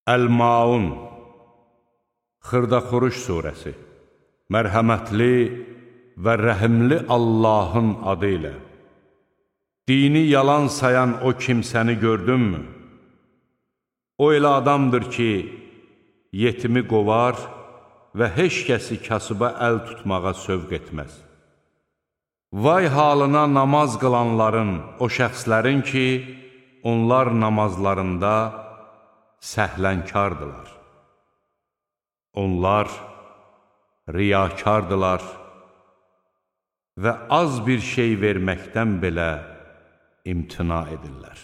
Əl-Maun Xırdaxuruş surəsi Mərhəmətli və rəhimli Allahın adı ilə Dini yalan sayan o kimsəni gördünmü? O elə adamdır ki, yetimi qovar və heç kəsi kasıba əl tutmağa sövq etməz. Vay halına namaz qılanların, o şəxslərin ki, onlar namazlarında səhlənkardılar. Onlar riyakardılar və az bir şey verməkdən belə imtina edirlər.